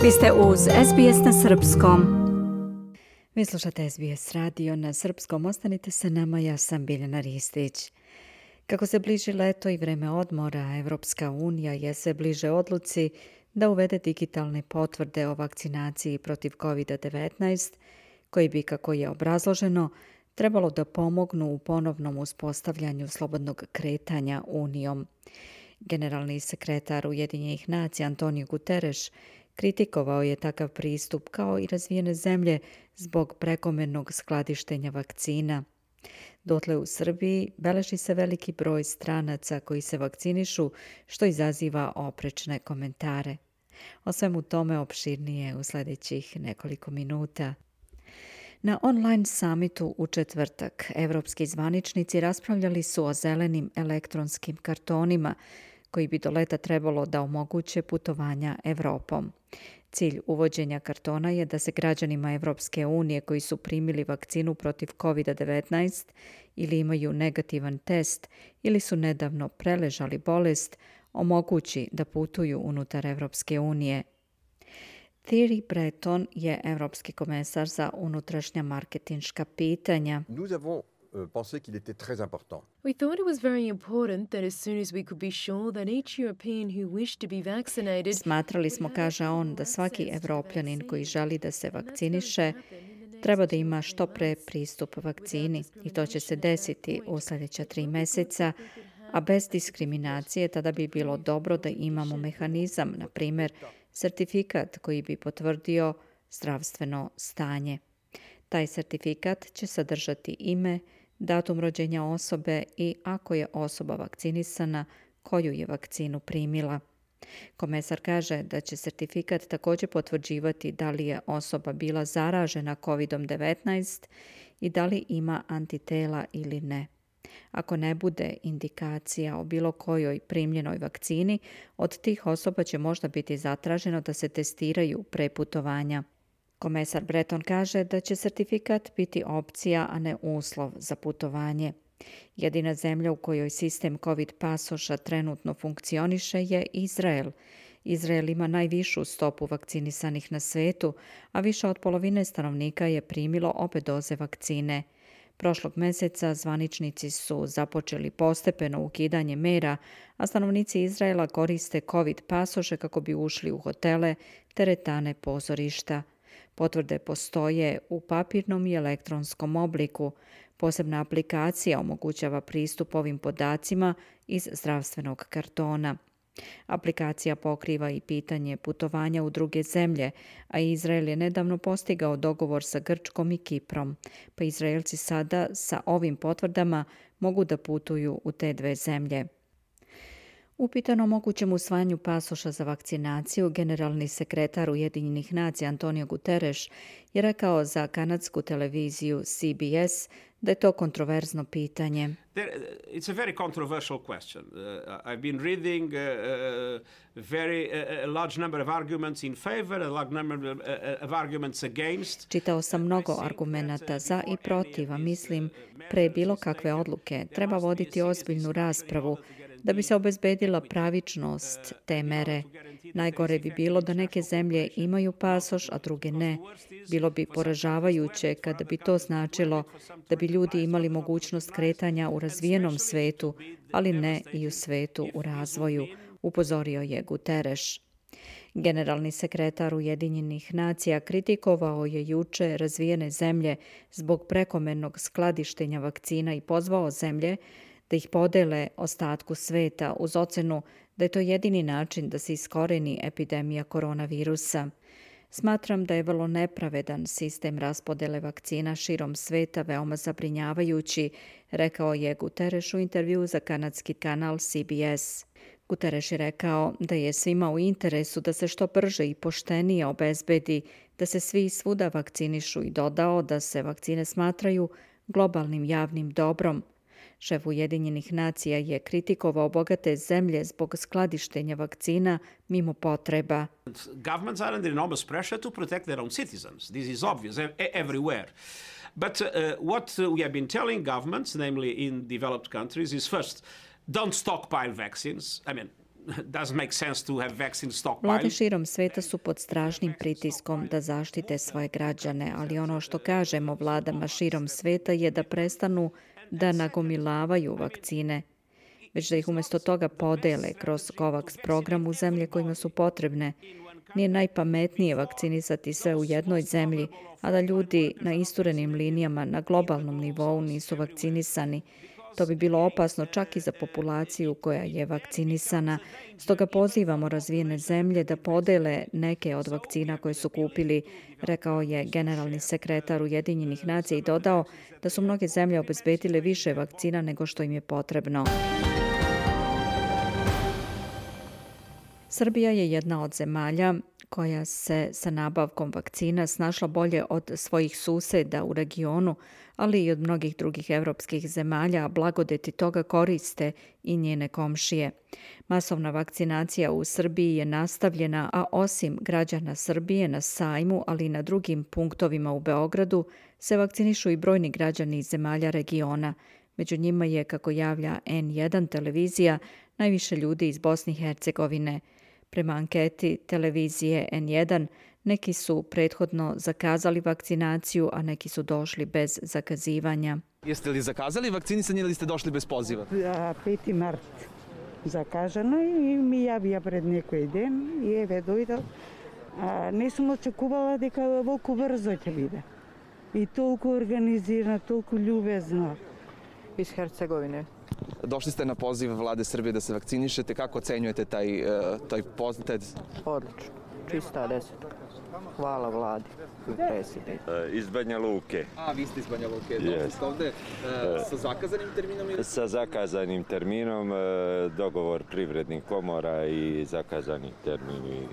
Vi ste uz SBS na srpskom. Vi slušate SBS radio na srpskom. Ostanite sa nama, ja sam Biljana Ristić. Kako se bliži leto i vreme odmora, Evropska unija je sve bliže odluci da uvede digitalne potvrde o vakcinaciji protiv COVID-19, koji bi, kako je obrazloženo, trebalo da pomognu u ponovnom uspostavljanju slobodnog kretanja Unijom. Generalni sekretar Ujedinjenih nacija Antonio Guterres kritikovao je takav pristup kao i razvijene zemlje zbog prekomernog skladištenja vakcina. Dotle u Srbiji beleži se veliki broj stranaca koji se vakcinišu, što izaziva oprečne komentare. O svemu tome opširnije u sljedećih nekoliko minuta. Na online summitu u četvrtak evropski zvaničnici raspravljali su o zelenim elektronskim kartonima koji bi do leta trebalo da omoguće putovanja Evropom. Cilj uvođenja kartona je da se građanima Evropske unije koji su primili vakcinu protiv COVID-19 ili imaju negativan test ili su nedavno preležali bolest, omogući da putuju unutar Evropske unije. Thierry Breton je evropski komesar za unutrašnja marketinška pitanja. Pensé qu'il était très important. We thought it was very important that as soon as we could be sure that each European who wished to be vaccinated. Smatrali smo, kaže on, da svaki Evropljanin koji želi da se vakciniše treba da ima što pre pristup vakcini i to će se desiti u sljedeća 3 meseca, a bez diskriminacije tada bi bilo dobro da imamo mehanizam, na primjer sertifikat koji bi potvrdio zdravstveno stanje. Taj sertifikat će sadržati ime, datum rođenja osobe i, ako je osoba vakcinisana, koju je vakcinu primila. Komesar kaže da će sertifikat također potvrđivati da li je osoba bila zaražena COVID-19 i da li ima antitela ili ne. Ako ne bude indikacija o bilo kojoj primljenoj vakcini, od tih osoba će možda biti zatraženo da se testiraju pre putovanja. Komesar Breton kaže da će sertifikat biti opcija, a ne uslov za putovanje. Jedina zemlja u kojoj sistem COVID pasoša trenutno funkcioniše je Izrael. Izrael ima najvišu stopu vakcinisanih na svetu, a više od polovine stanovnika je primilo obe doze vakcine. Prošlog meseca zvaničnici su započeli postepeno ukidanje mera, a stanovnici Izraela koriste COVID pasoše kako bi ušli u hotele, teretane, pozorišta. Potvrde postoje u papirnom i elektronskom obliku. Posebna aplikacija omogućava pristup ovim podacima iz zdravstvenog kartona. Aplikacija pokriva i pitanje putovanja u druge zemlje, a Izrael je nedavno postigao dogovor sa Grčkom i Kiprom, pa Izraelci sada sa ovim potvrdama mogu da putuju u te 2 zemlje. Upitan o mogućem usvajanju pasoša za vakcinaciju, generalni sekretar Ujedinjenih nacija Antonio Guterres je rekao za kanadsku televiziju CBS da je to kontroverzno pitanje. It's a very controversial question. I've been reading a large number of arguments in favor, a large number of arguments against. Čitao sam mnogo argumenata za i protiv, a mislim pre bilo kakve odluke treba voditi ozbiljnu raspravu da bi se obezbedila pravičnost te mere. Najgore bi bilo da neke zemlje imaju pasoš, a druge ne. Bilo bi poražavajuće kada bi to značilo da bi ljudi imali mogućnost kretanja u razvijenom svetu, ali ne i u svetu u razvoju, upozorio je Guterres. Generalni sekretar Ujedinjenih nacija kritikovao je juče razvijene zemlje zbog prekomernog skladištenja vakcina i pozvao zemlje da ih podele ostatku sveta uz ocenu da je to jedini način da se iskoreni epidemija koronavirusa. Smatram da je vrlo nepravedan sistem raspodele vakcina širom sveta veoma zabrinjavajući, rekao je Guterres u intervjuu za kanadski kanal CBS. Guterres je rekao da je svima u interesu da se što brže i poštenije obezbedi da se svi svuda vakcinišu i dodao da se vakcine smatraju globalnim javnim dobrom. Šef Ujedinjenih nacija je kritikovao bogate zemlje zbog skladištenja vakcina mimo potreba. Governments are under enormous pressure to protect their own citizens. This is obvious everywhere. But what we have been telling governments, namely in developed countries, is first, don't stockpile vaccines. I mean, doesn't make sense to have vaccine Vlade stockpile. širom sveta su pod strašnim pritiskom da zaštite svoje građane, ali ono što kažemo vladama širom sveta je da prestanu da nagomilavaju vakcine, već da ih umjesto toga podele kroz COVAX program u zemlje kojima su potrebne. Nije najpametnije vakcinisati sve u jednoj zemlji, a da ljudi na isturenim linijama na globalnom nivou nisu vakcinisani. To bi bilo opasno čak i za populaciju koja je vakcinisana. Stoga pozivamo razvijene zemlje da podele neke od vakcina koje su kupili, rekao je generalni sekretar Ujedinjenih nacija i dodao da su mnoge zemlje obezbedile više vakcina nego što im je potrebno. Srbija je jedna od zemalja koja se sa nabavkom vakcina snašla bolje od svojih suseda u regionu, ali i od mnogih drugih evropskih zemalja, a blagodeti toga koriste i njene komšije. Masovna vakcinacija u Srbiji je nastavljena, a osim građana Srbije na sajmu, ali i na drugim punktovima u Beogradu, se vakcinišu i brojni građani iz zemalja regiona. Među njima je, kako javlja N1 televizija, najviše ljudi iz Bosne i Hercegovine. Prema anketi televizije N1, neki su prethodno zakazali vakcinaciju, a neki su došli bez zakazivanja. Jeste li zakazali vakcinisanje ili ste došli bez poziva? 5. март закажано и ми јавија пред некој ден и еве дојдов. Не сум очекувала дека волку брзо ќе биде. И толку организирано, толку љубезно. Iz Hercegovine. Došli ste na poziv vlade Srbije da se vakcinišete. Kako ocenjujete taj poziv? Odlično. Čista 10. Hvala vladi i predsjedniku. Iz Banja Luke. A, vi ste iz Banja Luke. Došli ste ovde sa zakazanim terminom? Ili... Sa zakazanim terminom, dogovor privrednih komora i zakazani termin i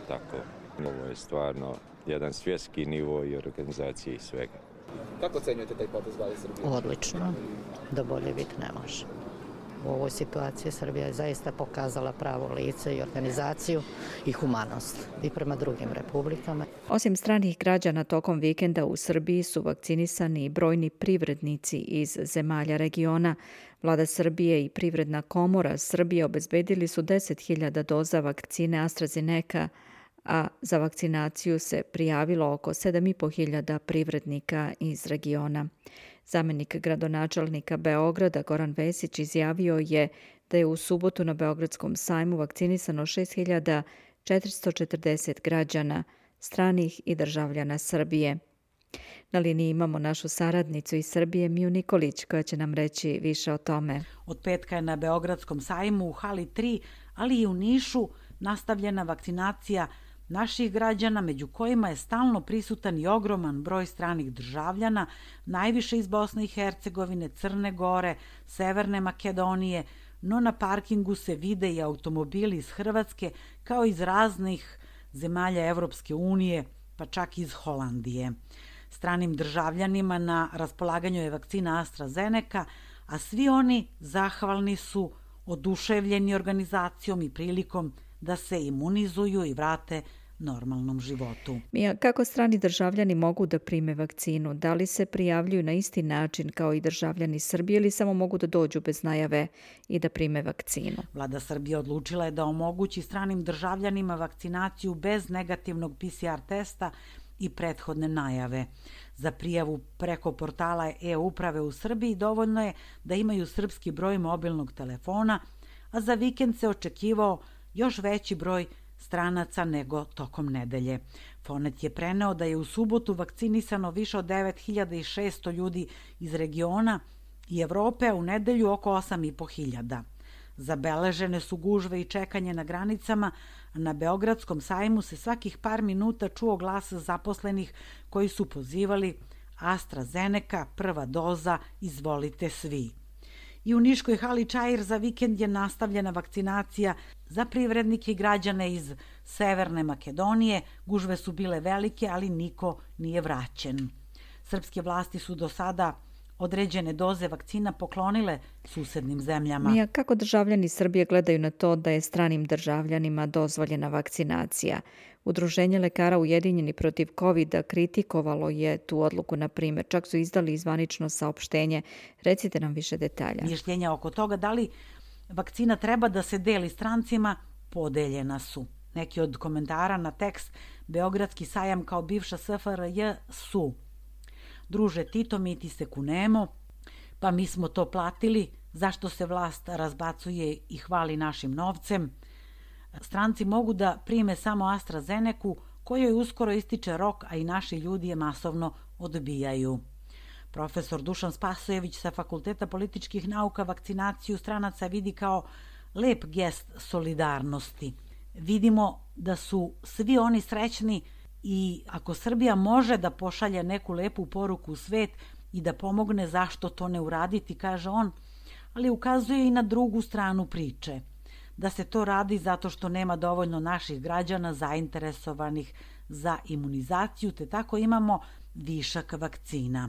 tako. Ovo je stvarno jedan svjetski nivo i organizacije i svega. Kako ocenjujete taj potez vlade Srbije? Odlično. Da bolje biti ne može. U ovoj situaciji Srbija je zaista pokazala pravo lice i organizaciju i humanost i prema drugim republikama. Osim stranih građana, tokom vikenda u Srbiji su vakcinisani i brojni privrednici iz zemalja regiona. Vlada Srbije i Privredna komora Srbije obezbedili su 10.000 doza vakcine AstraZeneca, a za vakcinaciju se prijavilo oko 7.500 privrednika iz regiona. Zamenik gradonačelnika Beograda Goran Vesić izjavio je da je u subotu na Beogradskom sajmu vakcinisano 6.440 građana, stranih i državljana Srbije. Na liniji imamo našu saradnicu iz Srbije, Miju Nikolić, koja će nam reći više o tome. Od petka je na Beogradskom sajmu u hali 3, ali i u Nišu nastavljena vakcinacija naših građana, među kojima je stalno prisutan i ogroman broj stranih državljana, najviše iz Bosne i Hercegovine, Crne Gore, Severne Makedonije, no na parkingu se vide i automobili iz Hrvatske, kao iz raznih zemalja Evropske unije, pa čak iz Holandije. Stranim državljanima na raspolaganju je vakcina AstraZeneca, a svi oni zahvalni su, oduševljeni organizacijom i prilikom da se imunizuju i vrate normalnom životu. Mija, kako strani državljani mogu da prime vakcinu? Da li se prijavljuju na isti način kao i državljani Srbije ili samo mogu da dođu bez najave i da prime vakcinu? Vlada Srbije odlučila je da omogući stranim državljanima vakcinaciju bez negativnog PCR testa i prethodne najave. Za prijavu preko portala e-uprave u Srbiji dovoljno je da imaju srpski broj mobilnog telefona, a za vikend se očekivao još veći broj stranaca nego tokom nedelje. Fonet je preneo da je u subotu vakcinisano više od 9.600 ljudi iz regiona i Evrope, a u nedelju oko 8.500. Zabeležene su gužve i čekanje na granicama, a na Beogradskom sajmu se svakih par minuta čuo glas zaposlenih koji su pozivali AstraZeneca, prva doza, izvolite svi. I u Niškoj hali Čair za vikend je nastavljena vakcinacija za privrednike i građane iz Severne Makedonije. Gužve su bile velike, ali niko nije vraćen. Srpske vlasti su do sada određene doze vakcina poklonile susednim zemljama. Mija, kako državljani Srbije gledaju na to da je stranim državljanima dozvoljena vakcinacija? Udruženje lekara Ujedinjeni protiv COVID-a kritikovalo je tu odluku, na primjer. Čak su izdali zvanično saopštenje. Recite nam više detalja. Mišljenja oko toga da li vakcina treba da se deli strancima, podeljena su. Neki od komentara na tekst Beogradski sajam kao bivša SFRJ su: druže Tito, mi ti se kunemo, pa mi smo to platili, zašto se vlast razbacuje i hvali našim novcem? Stranci mogu da prime samo AstraZeneku, kojoj uskoro ističe rok, a i naši ljudi je masovno odbijaju. Profesor Dušan Spasojević sa Fakulteta političkih nauka vakcinaciju stranaca vidi kao lep gest solidarnosti. Vidimo da su svi oni srećni i ako Srbija može da pošalje neku lepu poruku u svet i da pomogne, zašto to ne uraditi, kaže on, ali ukazuje i na drugu stranu priče, da se to radi zato što nema dovoljno naših građana zainteresovanih za imunizaciju, te tako imamo višak vakcina.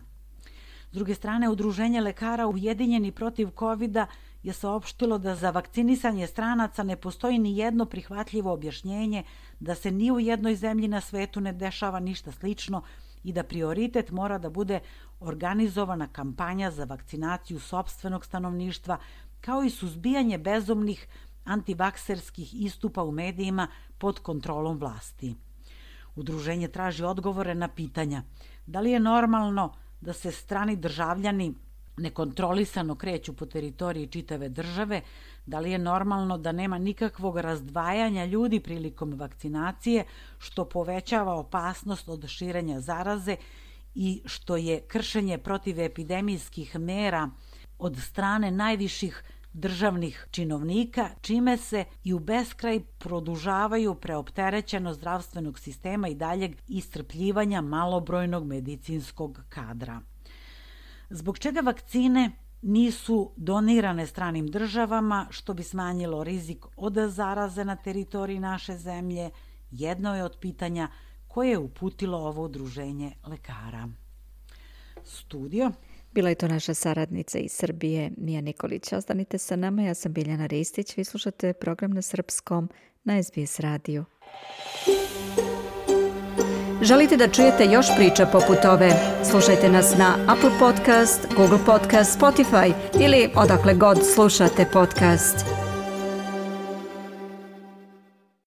S druge strane, Udruženje lekara Ujedinjeni protiv COVID-a je saopštilo da za vakcinisanje stranaca ne postoji ni jedno prihvatljivo objašnjenje, da se ni u jednoj zemlji na svetu ne dešava ništa slično i da prioritet mora da bude organizovana kampanja za vakcinaciju sopstvenog stanovništva, kao i suzbijanje bezumnih antivakserskih istupa u medijima pod kontrolom vlasti. Udruženje traži odgovore na pitanja: da li je normalno da se strani državljani nekontrolisano kreću po teritoriji čitave države, da li je normalno da nema nikakvog razdvajanja ljudi prilikom vakcinacije, što povećava opasnost od širenja zaraze i što je kršenje protivepidemijskih mera od strane najviših državnih činovnika, čime se i u beskraj produžavaju preopterećenost zdravstvenog sistema i daljeg iscrpljivanja malobrojnog medicinskog kadra. Zbog čega vakcine nisu donirane stranim državama, što bi smanjilo rizik od zaraze na teritoriji naše zemlje, jedno je od pitanja koje je uputilo ovo udruženje lekara. Studio. Bila je to naša saradnica iz Srbije, Mija Nikolić. Ostanite sa nama, ja sam Biljana Ristić. Vi slušate program na srpskom na SBS radiju. Želite da čujete još priča poput ove? Slušajte nas na Apple Podcast, Google Podcast, Spotify ili odakle god slušate podcast.